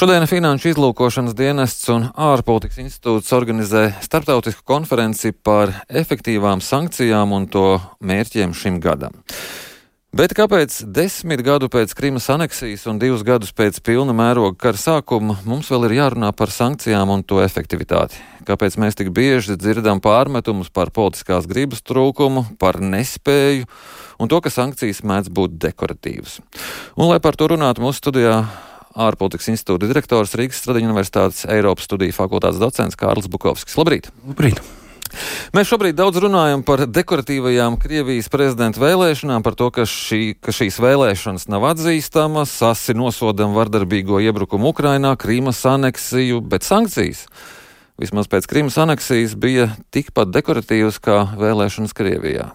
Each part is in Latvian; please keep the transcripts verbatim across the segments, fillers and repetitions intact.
Šodien Finanšu izlūkošanas dienests un ārpolitikas institūts organizē starptautisku konferenci par efektīvām sankcijām un to mērķiem šim gadam. Bet kāpēc desmit gadu pēc Krimas aneksijas un divus gadus pēc pilna mēroga kara sākuma mums vēl ir jārunā par sankcijām un to efektivitāti? Kāpēc mēs tik bieži dzirdam pārmetumus par politiskās gribas trūkumu, par nespēju un to, ka sankcijas mēdz būt dekoratīvas? Un, lai par to runātu, mūsu studijā ārpolitikas institūta direktors, Rīgas Stradiņu Universitātes Eiropas studiju fakultātes docents Kārlis Bukovskis. Labrīt! Labrīt! Mēs šobrīd daudz runājam par dekoratīvajām Krievijas prezidenta vēlēšanām, par to, ka, šī, ka šīs vēlēšanas nav atzīstamas, asi nosodam vardarbīgo iebrukumu Ukrainā, Krimas aneksiju, bet sankcijas, vismaz pēc Krimas aneksijas, bija tikpat dekoratīvas kā vēlēšanas Krievijā.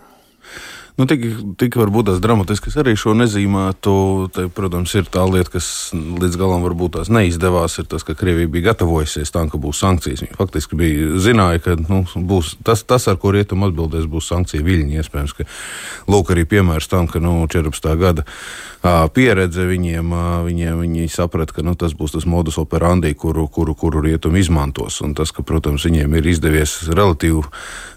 Nu, tik, tik varbūt tās dramatiskas arī šo nezīmētu. Te, protams, ir tā lieta, kas līdz galam varbūt tās neizdevās, ir tas, ka Krievija bija gatavojusies tam, ka būs sankcijas. Viņi faktiski bija zināja, ka nu, būs tas, tas, ar ko rietum atbildēs, būs sankcija viļņi. Iespējams, ka lūk arī piemērs tam, ka nu, četrpadsmitā gada ā, pieredze viņiem, ā, viņiem viņi saprata, ka nu, tas būs tas modus operandi, kuru, kuru, kuru rietum izmantos. Un tas, ka, protams, viņiem ir izdevies relatīvi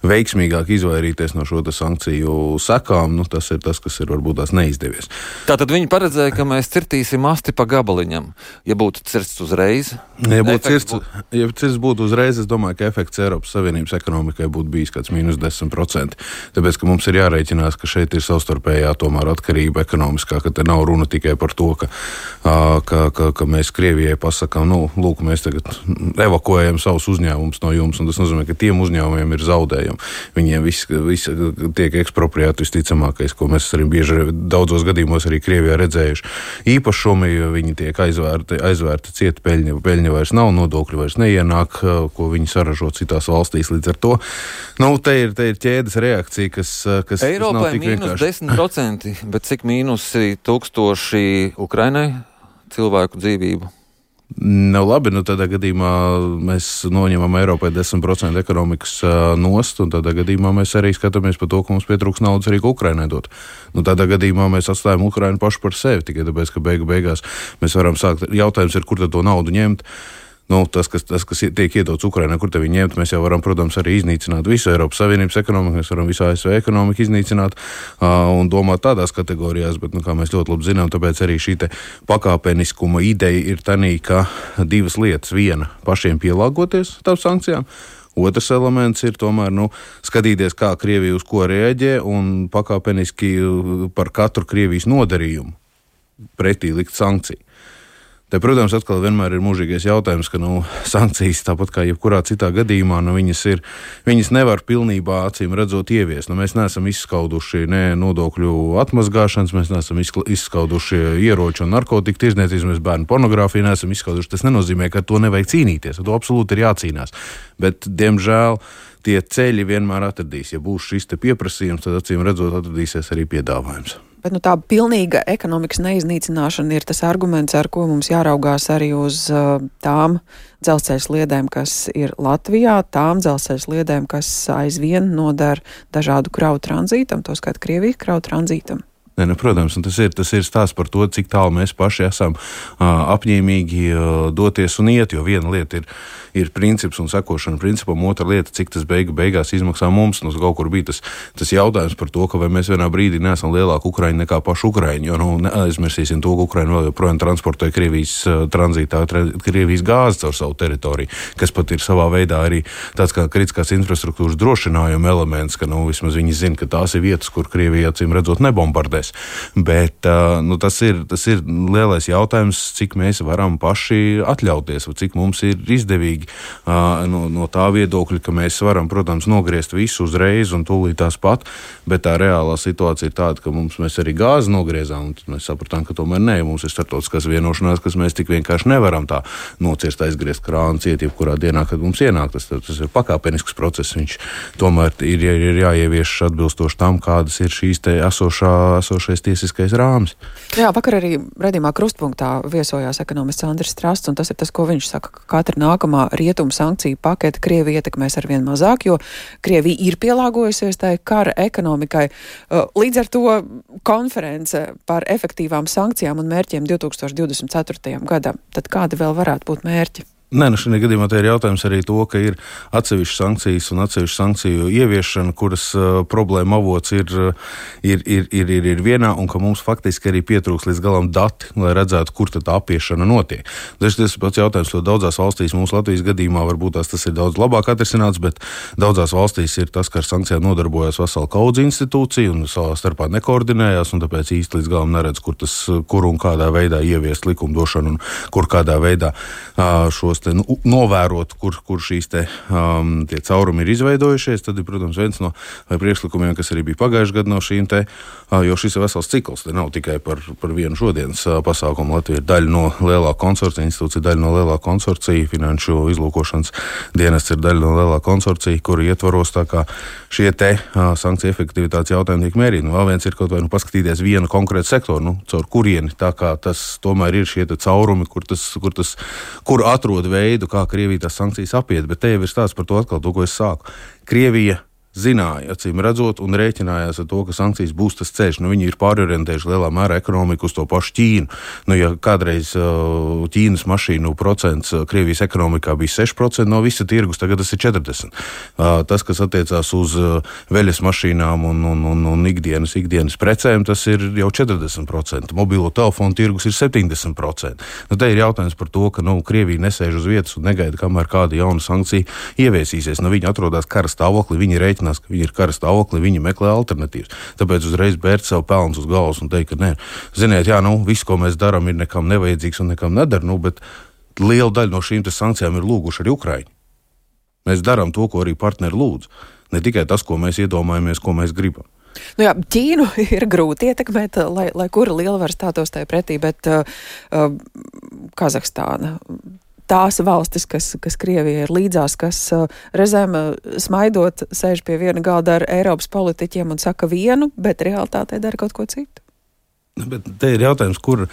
veiksmīgāk izvairīties no šo sankciju sekām, nu, tas ir tas, kas ir varbūt tās neizdevies. Tātad viņi paredzēja, ka mēs cirtīsim asti pa gabaliņam. Ja būtu cirsts uzreiz? Ja būtu cirsts, būtu... ja cirsts būtu uzreiz, es domāju, ka efekts Eiropas Savienības ekonomikai būtu bijis kāds mīnus desmit procenti. Tāpēc, ka mums ir jārēķinās, ka šeit ir savstarpējā tomēr atkarība ekonomiskā, ka te nav runa tikai par to, ka, ka, ka, ka mēs Krievijai pasakām, nu, lūk, mēs tagad evakuējam savus uzņēmumus no jums, un tas nozīmē, ka tiem uzņēmumiem ir zaudējumi. Viņiem viss, viss tiek ekspropriēti visticamākais, ko mēs arī bieži daudzos gadījumos arī Krievijā redzējuši. Īpašumi, viņi tiek aizvērti, aizvērti cieti, peļņa, peļņa vairs nav, nodokļi vairs neienāk, ko viņi saražo citās valstīs līdz ar to. Nu, te ir, te ir ķēdes reakcija, kas, kas, Eiropai kas nav tik vienkārši. mīnus desmit procenti, bet cik mīnusi tūkstoši Ukrainai cilvēku dzīvību? Nav labi, nu tādā gadījumā mēs noņemam Eiropai desmit procenti ekonomikas uh, nost, un tādā gadījumā mēs arī skatāmies par to, ka mums pietrūks naudas arī Ukrainai dot. Nu tādā gadījumā mēs atstājam Ukrainu pašu par sevi, tikai tāpēc, ka beigu beigās mēs varam sākt. Jautājums ir, kur tad to naudu ņemt. Nu, tas, kas, tas, kas tiek iedots Ukrainai, kur te viņi ņemt, mēs jau varam, protams, arī iznīcināt visu Eiropas Savienības ekonomiku, mēs varam visu A S V ekonomiku iznīcināt uh, un domāt tādās kategorijās, bet, nu, kā mēs ļoti labi zinām, tāpēc arī šī te pakāpeniskuma ideja ir tanī, ka divas lietas. Viena, pašiem pielāgoties tām sankcijām. Otrs elements ir tomēr, nu, skatīties, kā Krievija uz ko reaģē un pakāpeniski par katru Krievijas nodarījumu pretī likt sankciju. Te, protams, atkal vienmēr ir mūžīgais jautājums, ka nu, sankcijas, tāpat kā jebkurā citā gadījumā, nu, viņas, ir, viņas nevar pilnībā acīm redzot ieviest. Nu, mēs neesam izskauduši ne nodokļu atmazgāšanas, mēs neesam izskauduši ieroču un narkotiku tirdzniecības, mēs bērnu pornogrāfiju neesam izskauduši. Tas nenozīmē, ka to nevajag cīnīties, ar to absolūti ir jācīnās. Bet, diemžēl, tie ceļi vienmēr atradīs. Ja būs šis te pieprasījums, tad acīm redzot atradīsies arī piedāvājums. Bet nu, tā pilnīga ekonomikas neiznīcināšana ir tas arguments, ar ko mums jāraugās arī uz uh, tām dzelzceļa sliedēm, kas ir Latvijā, tām dzelzceļa sliedēm, kas aizvien nodara dažādu kravu tranzītam, to skait Krievijas kravu tranzītam. Ne, nu, protams, un tas ir, tas ir stāsts par to, cik tālu mēs paši esam uh, apņēmīgi uh, doties un iet, jo viena lieta ir, ir princips un sekošana principam, otra lieta, cik tas beigu beigās izmaksā mums. Nu, kaut kur bija tas, tas jautājums par to, ka vai mēs vienā brīdī neesam lielāki Ukraiņi nekā paši Ukraiņi, jo nu, neaizmirsīsim to, ka Ukraiņi vēl joprojām transportē Krievijas uh, tranzītā, Krievijas gāzi caur savu teritoriju, kas pat ir savā veidā arī tāds kā kritiskās infrastruktūras drošinājuma elements, ka nu, vismaz viņi zina, ka tās ir vietas, kur Krievija acīm redzot nebombardē. Bet nu, tas, ir, tas ir lielais jautājums, cik mēs varam paši atļauties, vai cik mums ir izdevīgi no, no tā viedokļa, ka mēs varam, protams, nogriezt visu uzreiz un tūlīt tās pat, bet tā reālā situācija ir tāda, ka mums mēs arī gāzi nogriezām, un tad mēs sapratām, ka tomēr nē, mums ir starptautiskās vienošanās, kas mēs tik vienkārši nevaram tā nocirst, aizgriezt krānu ciet, jebkurā dienā, kad mums ienāk. Tas, tas ir pakāpenisks process, viņš tomēr ir, ir jāievieš atbilstoši tam, kādas ir šīs te esošā esošais tiesiskais rāmis. Jā, vakar arī redzījumā krustpunktā viesojās ekonomists Andris Strasts, un tas ir tas, ko viņš saka, ka katra nākamā rietumu sankciju pakete Krieviju ietekmēs arvien mazāk, jo Krievija ir pielāgojusies tai kara ekonomikai. Līdz ar to konference par efektīvām sankcijām un mērķiem divtūkstoš divdesmit ceturtajam gadam. Tad kādi vēl varētu būt mērķi? Nē, nu šajā gadījumā te ir jautājums arī to, ka ir atsevišķas sankcijas un atsevišķu sankciju ieviešana, kuras uh, problēma avots ir, ir, ir, ir, ir, ir vienā, un ka mums faktiski arī pietrūks līdz galam dati, lai redzētu, kur tad tā apiešana notiek. Dažs tas pats jautājums, jo daudzās valstīs, mums Latvijas gadījumā varbūt tās tas ir daudz labāk atrisināts, bet daudzās valstīs ir tas, ka ar sankcijām nodarbojas vesela kaudze institūcija un savā starpā nekoordinējās, un tāpēc īsti līdz galam neredz, kur tas, kur un kādā veidā ieviest likumdošanu un kur kādā veidā uh, šos te, nu, novērot, kur, kur šīs te, um, tie caurumi ir izveidojušies. Tad ir, protams, viens no priekšlikumiem, kas arī bija pagājušajā gadā no šīm te, uh, jo šis ir vesels cikls, te nav tikai par, par vienu šodienas uh, pasākumu. Latvija ir daļa no lielā konsorcija, institūcija daļa no lielā konsorcija, finanšu izlūkošanas dienests ir daļa no lielā konsorcija, kuri ietvaros tā kā šie te uh, sankciju efektivitātes jautājumi tiek mērīti. Nu, vēl viens ir kaut vai nu paskatīties vienu konkrētu sektoru, nu, caur kurieni, tā kā tas tomēr ir šie te caurumi, kur tas, kur tas, kur atrod veidu, kā Krievija tās sankcijas apiet, bet te jau ir stāsts par to atkal, to, ko es sāku. Krievija zināja, acīm redzot, un rēķinājās ar to, ka sankcijas būs tas ceļš. Nu, viņi ir pārorientējuši lielā mērā ekonomiku uz to pašu Ķīnu. Nu, ja kādreiz uh, Ķīnas mašīnu procents uh, Krievijas ekonomikā bija seši procenti no visa tirgus, tagad tas ir četrdesmit procenti. Uh, tas, kas attiecās uz uh, veļas mašīnām un, un, un, un ikdienas, ikdienas precēm, tas ir jau četrdesmit procenti. Mobilo telefonu tirgus ir septiņdesmit procenti. Nu, te ir jautājums par to, ka nu, Krievija nesēž uz vietas un negaida, kamēr kāda jauna sankcija ieviesīsies. Nu, viņi atrodas kara stāvoklī, viņi rēķinās, ka viņi ir kara stāvoklī, viņi meklē alternatīvas. Tāpēc uzreiz bērt sev pelnus uz galvas un teikt, ka nē, ziniet, jā, nu, viss, ko mēs darām, ir nekam nevajadzīgs un nekam nedara, nu, bet liela daļa no šīm te sankcijām ir lūguši arī Ukraiņi. Mēs darām to, ko arī partneri lūdz. Ne tikai tas, ko mēs iedomājamies, ko mēs gribam. Nu jā, Ķīnu ir grūti ietekmēt, lai, lai kura lielvara stātos tai pretī, bet uh, uh, Kazahstāna, tās valstis, kas, kas Krievija ir līdzās, kas uh, reizēm uh, smaidot sēž pie viena galda ar Eiropas politiķiem un saka vienu, bet realitātē dara kaut ko citu. Bet te ir jautājums, kur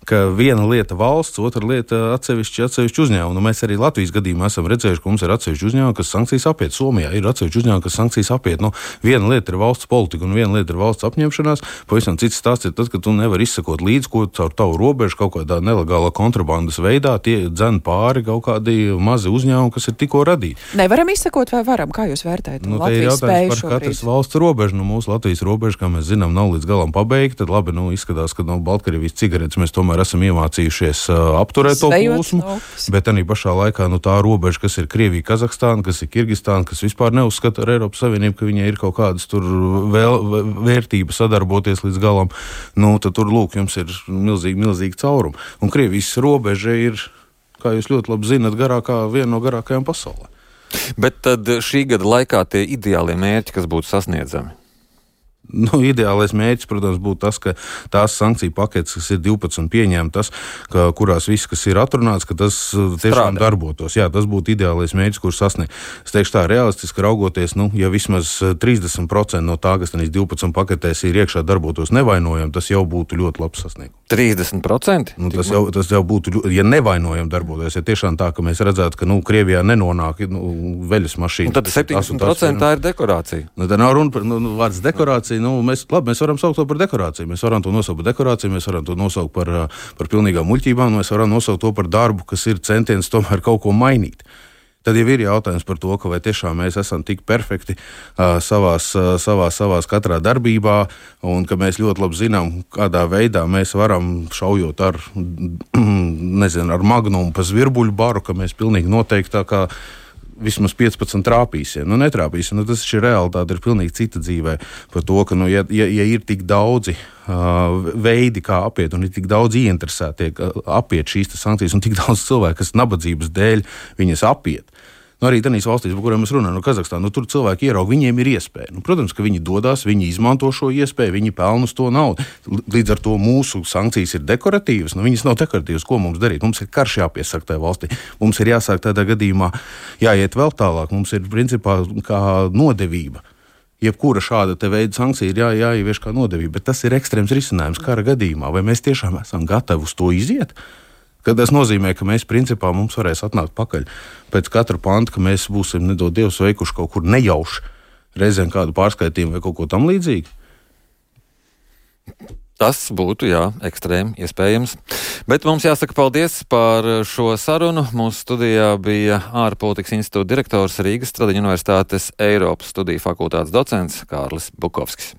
ka viena lieta valsts, otra lieta atsevišķi, atsevišķi uzņēmumi. Nu, mēs arī Latvijas gadījumā esam redzējuši, ka mums ir atsevišķi uzņēmumi, kas sankcijas apiet. Somijā ir atsevišķi uzņēmumi, kas sankcijas apiet. Nu, viena lieta ir valsts politika un viena lieta ir valsts apņemšanās. Pavisam cits stāsts ir tas, ka tu nevari izsekot līdzi, ko caur tavu robežu kaut kādā nelegālā kontrabandas veidā tie dzen pāri kaut kādi mazi uzņēmumi, kas ir tikko radīti. Nevaram izsekot vai varam? Kā jūs vērtējat? Nu, te ir jautājums par katras valsts robežu. Nu, mūsu Latvijas robeža, kā mēs zinām, nav līdz galam pabeigta. Tad labi, nu, izskatās, ka no Baltkrievijas cigaretes mēs tomēr esam iemācījušies uh, apturēt to plūsmu, bet arī pašā laikā nu, tā robeža, kas ir Krievija, Kazahstāna, kas ir Kirgistāna, kas vispār neuzskata ar Eiropas Savienību, ka viņai ir kaut kādas tur vēl, vērtība sadarboties līdz galam, nu, tad tur, lūk, jums ir milzīgi, milzīgi caurumi. Un Krievijas robeža ir, kā jūs ļoti labi zinat, garākā, viena no garākajām pasaulē. Bet tad šī gada laikā tie ideālie mērķi, kas būtu sasniedzami? Nu, ideālais mērķis, protams, būtu tas, ka tās sankciju paketes, kas ir divpadsmit pieņemtas, ka, kurās viss, kas ir atrunāts, ka tas tiešām Strādā. darbotos. Jā, tas būtu ideālais mērķis, kurš sasniegt. Es teikšu tā, realistiski raugoties, nu, ja vismaz trīsdesmit procenti no tā, kas tenīs divpadsmit paketēs ir iekšā darbotos nevainojami, tas jau būtu ļoti labs sasniegums. trīsdesmit procenti? Nu, tas, jau, tas jau būtu, ja nevainojami darbotos, ja tiešām tā, ka mēs redzētu, ka, nu, Krievijā nenonāk nu, veļas mašīna. Un tad septiņdesmit procenti tā ir dekorācija. Nu, tā nav runa par, nu, vārds dekorācija. Nu, mēs, labi, mēs varam saukt to par dekorāciju. Mēs varam to nosaukt par dekorāciju, mēs varam to nosaukt par, par pilnīgām muļķībām, mēs varam nosaukt to par darbu, kas ir centiens tomēr kaut ko mainīt. Tad jau ir jautājums par to, ka vai tiešām mēs esam tik perfekti uh, savās, uh, savās, savās katrā darbībā, un ka mēs ļoti labi zinām, kādā veidā mēs varam šaujot ar, nezinu, ar magnumu pa zvirbuļu baru, ka mēs pilnīgi noteikti tā kā vismaz piecpadsmit trāpīsim. Nu, netrāpīsim. Nu, tas ir realitāte, ir pilnīgi cita dzīvē par to, ka, nu, ja, ja, ja ir tik daudzi uh, veidi, kā apiet, un ir tik daudz ieinteresēti uh, apiet šīs sankcijas, un tik daudz cilvēku, kas nabadzības dēļ viņas apiet. Nu, arī tādās valstīs, par kurām mēs runājam, no Kazahstāna, nu, tur cilvēki ieraug, viņiem ir iespēja. Nu, protams, ka viņi dodas, viņi izmanto šo iespēju, viņi pelna uz to naudu. Līdz ar to mūsu sankcijas ir dekoratīvas, nu, viņas nav dekoratīvas. Ko mums darīt? Mums ir karš jāpiesaka tajā valstī. Mums ir jāsāk tādā gadījumā jāiet vēl tālāk. Mums ir principā kā nodevība. jebkura šāda te veida sankcija ir jā, jāievieš kā nodevība, bet tas ir ekstrēms risinājums kara gadījumā. Vai mēs tiešām esam gatavi uz to iziet? Kad tas nozīmē, ka mēs principā mums varēs atnākt pakaļ pēc katra panta, ka mēs būsim nedod Dievs veikuši kaut kur nejauši reizēm kādu pārskaitījumu vai kaut ko tam līdzīgu. Tas būtu, jā, ekstrēmi iespējams. Bet mums jāsaka paldies par šo sarunu. Mūsu studijā bija ārpolitikas institūta direktors Rīgas Stradiņu universitātes Eiropas studiju fakultātes docents Kārlis Bukovskis.